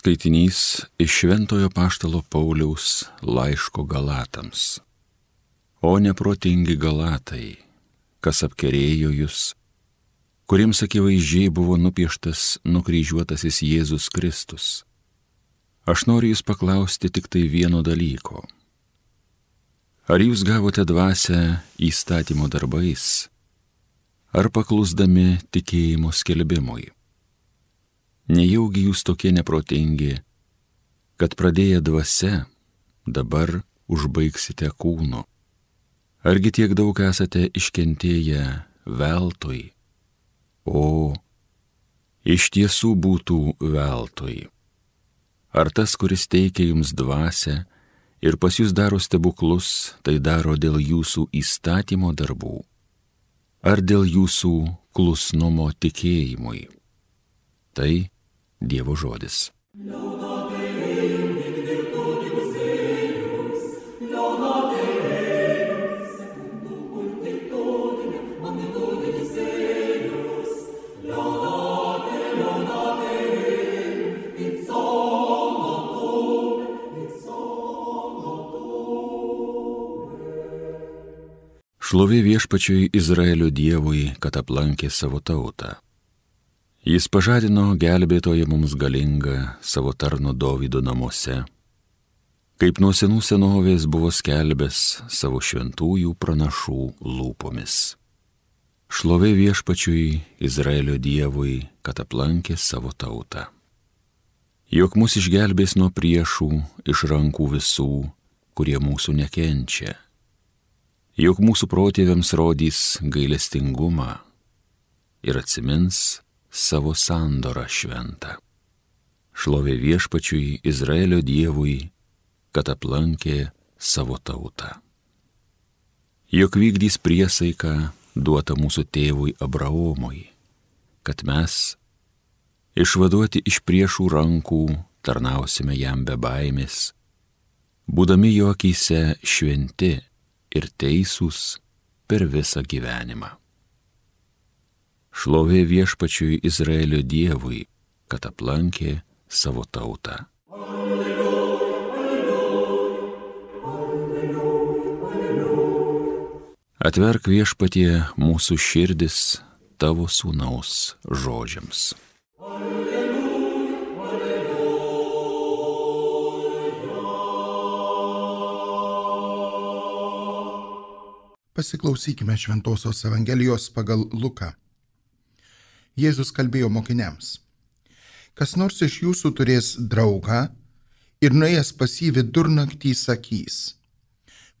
Skaitinys iš Šventojo Apaštalo Pauliaus laiško Galatams. O neprotingi Galatai, kas apkerėjo jūs, kuriems akivaizdžiai buvo nupieštas nukryžiuotasis Jėzus Kristus. Aš noriu jūs paklausti tik tai vieno dalyko. Ar jūs gavote dvasią įstatymo darbais, ar paklusdami tikėjimo skelbimui? Nejaugi jūs tokie neprotingi, kad pradėję dvasia, dabar užbaigsite kūnu? Argi tiek daug esate iškentėję veltui? O, iš tiesų būtų veltui. Ar tas, kuris teikia jums dvasią ir pas jūs daro stebuklus, tai daro dėl jūsų įstatymo darbų, ar dėl jūsų klusnumo tikėjimui? Tai Dievo žodis. Šlovė viešpačiui Izraelio Dievui, kad aplankė savo tautą. Jis pažadino gelbėtoją mums galingą savo tarno Dovydo namuose, kaip nuo senų senovės buvo skelbęs savo šventųjų pranašų lūpomis. Šlovė viešpačiui Izraelio Dievui, kad aplankė savo tautą. Jog mus išgelbės nuo priešų iš rankų visų, kurie mūsų nekenčia. Jog mūsų protėviams rodys gailestingumą ir atsimins savo sandorą šventą. Šlovė viešpačiui Izraelio Dievui, kad aplankė savo tautą. Jog vykdys priesaiką duotą mūsų tėvui Abraomui, kad mes, išvaduoti iš priešų rankų, tarnausime jam be baimės, būdami jo akyse šventi ir teisūs per visą gyvenimą. Šlovė viešpačiui Izraelio Dievui, kad aplankė savo tautą. Atverk viešpatie mūsų širdis tavo sūnaus žodžiams. Pasiklausykime Šventosios Evangelijos pagal Luką. Jėzus kalbėjo mokiniams: kas nors iš jūsų turės draugą ir nuėjęs pas jį vidurnaktį sakys: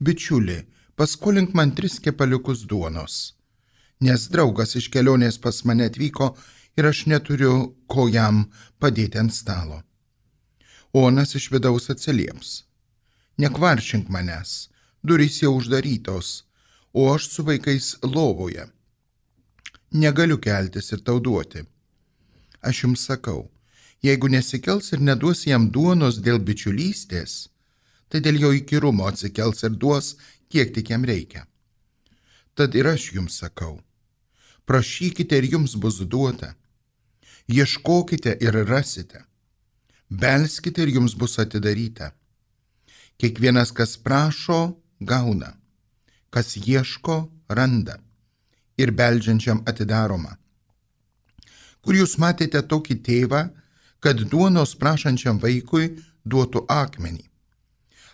bičiuli, paskolink man 3 kepaliukus duonos, nes draugas iš kelionės pas mane atvyko ir aš neturiu ko jam padėti ant stalo. O anas iš vidaus atsilieps: nekvaršink manęs, durys jau uždarytos, o aš su vaikais lovoje. Negaliu keltis ir tau duoti. Aš jums sakau, jeigu nesikels ir neduos jam duonos dėl bičiulystės, tai dėl jo įkyrumo atsikels ir duos, kiek tik jam reikia. Tad ir aš jums sakau, prašykite ir jums bus duota, ieškokite ir rasite, belskite ir jums bus atidaryta. Kiekvienas, kas prašo, gauna, kas ieško, randa, ir beldžiančiam atidaroma. Kur jūs matėte tokį tėvą, kad duonos prašančiam vaikui duotų akmenį?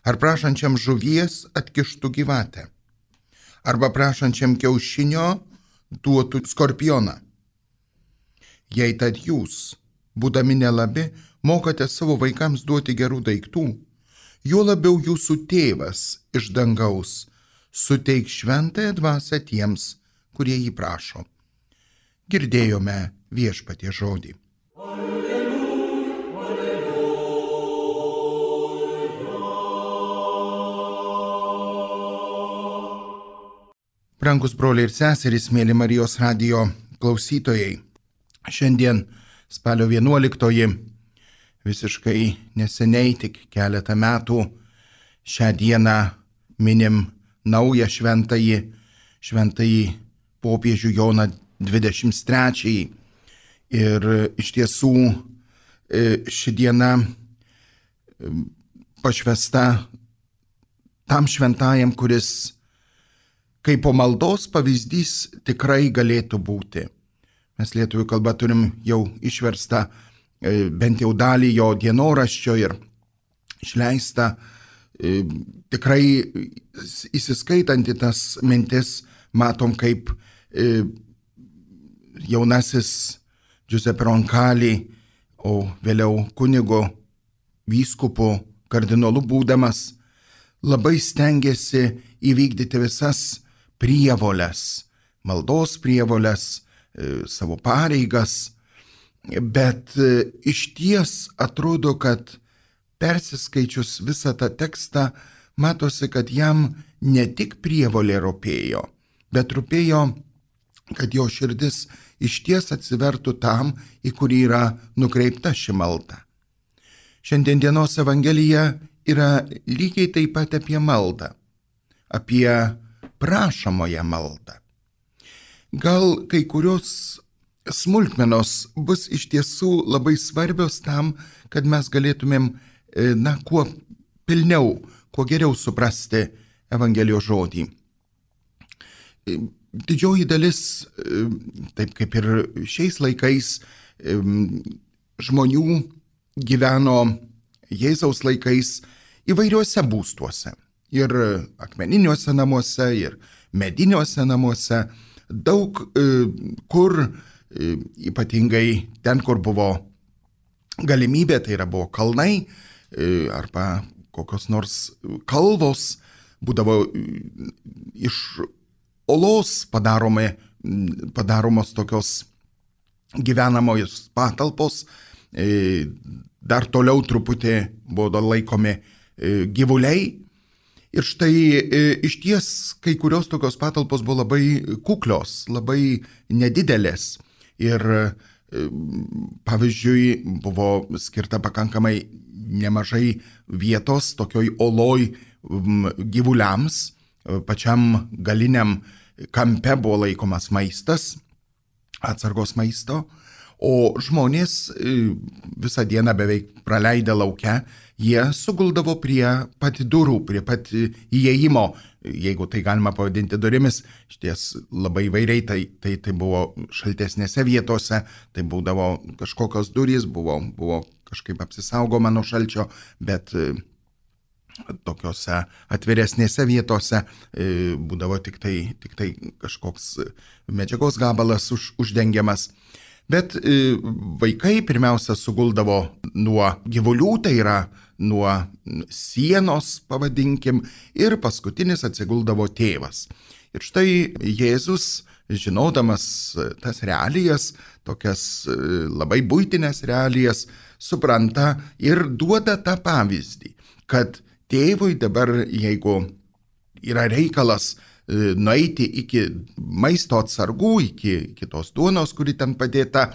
Ar prašančiam žuvies atkištų gyvatę? Arba prašančiam kiaušinio duotų skorpioną? Jei tad jūs, būdami nelabi, mokate savo vaikams duoti gerų daiktų, juo labiau jūsų tėvas iš dangaus suteiks šventąją dvasią tiems, kurie jį prašo. Girdėjome viešpatie žodį. Brangus broliai ir seserys, mėly Marijos radijo klausytojai, šiandien spalio 11, visiškai neseniai, tik keletą metų, šią dieną minim naują šventąjį popiežių Joną 23. Ir iš tiesų ši diena pašvęsta tam šventajam, kuris kaip po maldos pavyzdys tikrai galėtų būti. Mes lietuvių kalbą turim jau išverstą bent jau dalį jo dienoraščio ir išleistą tikrai įsiskaitant į tas mintis, matom kaip jaunasis Giuseppe Roncalli, o vėliau kunigo, vyskupu, kardinolu būdamas, labai stengiasi įvykdyti visas prievoles, maldos prievoles, savo pareigas, bet išties atrodo, kad persiskaičius visą tą tekstą, matosi, kad jam ne tik prievolė rūpėjo, bet rūpėjo, kad jo širdis išties atsivertų tam, į kurį yra nukreipta ši malda. Šiandien dienos Evangelija yra lygiai taip pat apie maldą, apie prašomąją maldą. Gal kai kurios smulkmenos bus iš tiesų labai svarbios tam, kad mes galėtumėm, kuo pilniau, kuo geriau suprasti Evangelijos žodį. Didžioji dalis, taip kaip ir šiais laikais, žmonių gyveno Jėzaus laikais įvairiuose būstuose. Ir akmeniniuose namuose, ir mediniuose namuose. Daug kur, ypatingai ten, kur buvo galimybė, tai yra buvo kalnai arba kokios nors kalvos, būdavo iš olos padaromos tokios gyvenamojos patalpos, dar toliau truputį buvo laikomi gyvuliai. Ir štai išties kai kurios tokios patalpos buvo labai kuklios, labai nedidelės. Ir pavyzdžiui, buvo skirta pakankamai nemažai vietos tokioj oloj gyvuliams. Pačiam galiniam kampe buvo laikomas maistas, atsargos maisto, o žmonės visą dieną beveik praleidę lauke, jie suguldavo prie pat durų, prie pat įėjimo, jeigu tai galima pavadinti durimis, šties labai įvairiai, tai buvo šaltesnėse vietose, tai būdavo kažkokios durys, buvo kažkaip apsisaugoma nuo šalčio, bet tokiose atviresnėse vietose būdavo tik tai kažkoks medžiagos gabalas uždengiamas. Bet vaikai pirmiausia suguldavo nuo gyvulių, tai yra nuo sienos, pavadinkim, ir paskutinis atsiguldavo tėvas. Ir štai Jėzus, žinodamas tas realijas, tokias labai buitinės realijas, supranta ir duoda tą pavyzdį, kad tėvui dabar, jeigu yra reikalas nueiti iki maisto atsargų, iki tos duonos, kuri ten padėta,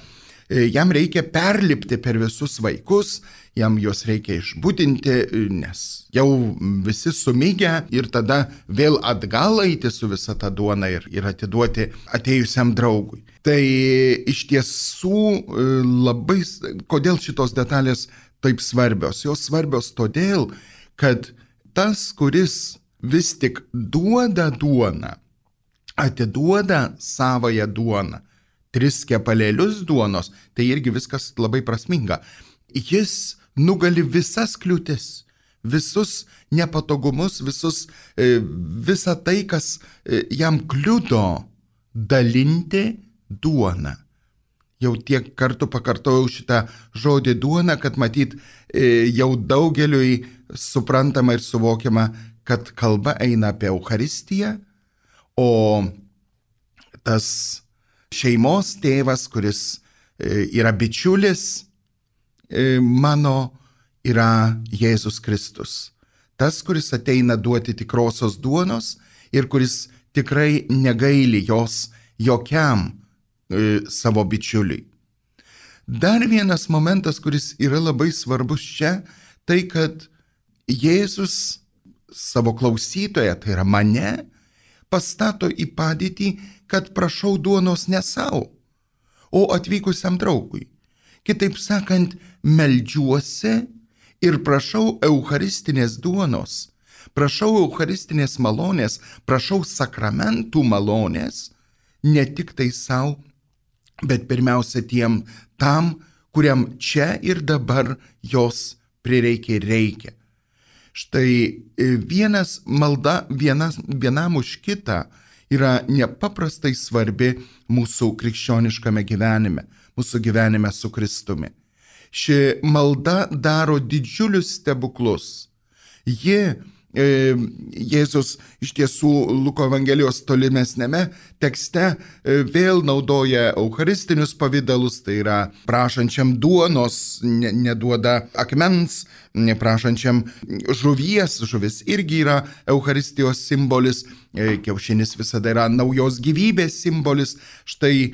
jam reikia perlipti per visus vaikus, jam juos reikia išbudinti, nes jau visi sumigę ir tada vėl atgal eiti su visa ta duona ir atiduoti atėjusiam draugui. Tai iš tiesų labai, kodėl šitos detalės taip svarbios? Jos svarbios todėl, kad tas, kuris vis tik duoda duoną, atiduoda savąją duoną, 3 kepalėlius duonos, tai irgi viskas labai prasminga. Jis nugali visas kliūtis, visus nepatogumus, visą tai, kas jam kliudo dalinti duoną. Jau tiek kartų pakartojau šitą žodį duona, kad matyt jau daugeliui suprantama ir suvokiama, kad kalba eina apie Eucharistiją, o tas šeimos tėvas, kuris yra bičiulis mano, yra Jėzus Kristus. Tas, kuris ateina duoti tikrosios duonos ir kuris tikrai negaili jos jokiam savo bičiuliui. Dar vienas momentas, kuris yra labai svarbus čia, tai kad Jėzus savo klausytoją, tai yra mane, pastato į padėtį, kad prašau duonos ne savo, o atvykusiam draugui. Kitaip sakant, meldžiuosi ir prašau eucharistinės duonos, prašau eucharistinės malonės, prašau sakramentų malonės, ne tik tai savo, bet pirmiausia tam, kuriam čia ir dabar jos prireikia ir reikia. Štai malda vienam už kitą yra nepaprastai svarbi mūsų krikščioniškame gyvenime, mūsų gyvenime su Kristumi. Ši malda daro didžiulius stebuklus. Jėzus iš tiesų Luko Evangelijos tolimesnėme tekste vėl naudoja eucharistinius pavydalus, tai yra prašančiam duonos, neduoda akmens, prašančiam žuvis irgi yra eucharistijos simbolis, kiaušinis visada yra naujos gyvybės simbolis. Štai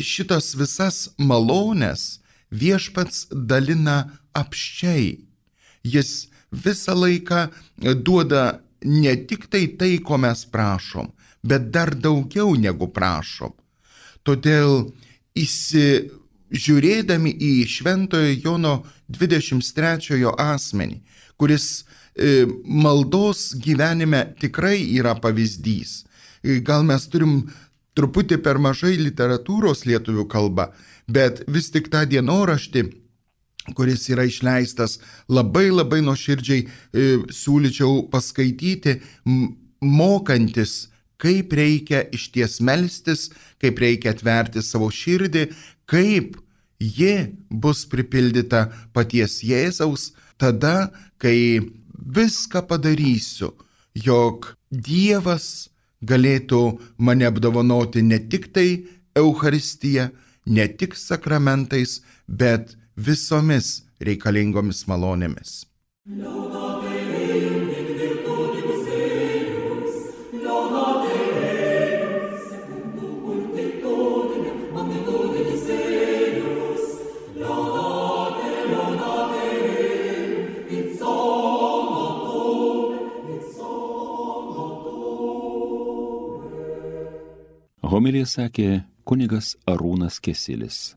šitas visas malonės viešpats dalina apsčiai. Jis visą laiką duoda ne tik tai, ko mes prašom, bet dar daugiau negu prašom. Todėl žiūrėdami į Šventojo Jono 23 asmenį, kuris maldos gyvenime tikrai yra pavyzdys. Gal mes turim truputį per mažai literatūros lietuvių kalba, bet vis tik tą dienoraštį, kuris yra išleistas, labai nuoširdžiai siūlyčiau paskaityti, mokantis, kaip reikia išties melstis, kaip reikia atverti savo širdį, kaip ji bus pripildyta paties Jėzaus, tada, kai viską padarysiu, jog Dievas galėtų mane apdovanoti ne tik tai Eucharistija, ne tik sakramentais, bet visomis reikalingomis malonėmis. Homiliją sakė kunigas Arūnas Kesilis.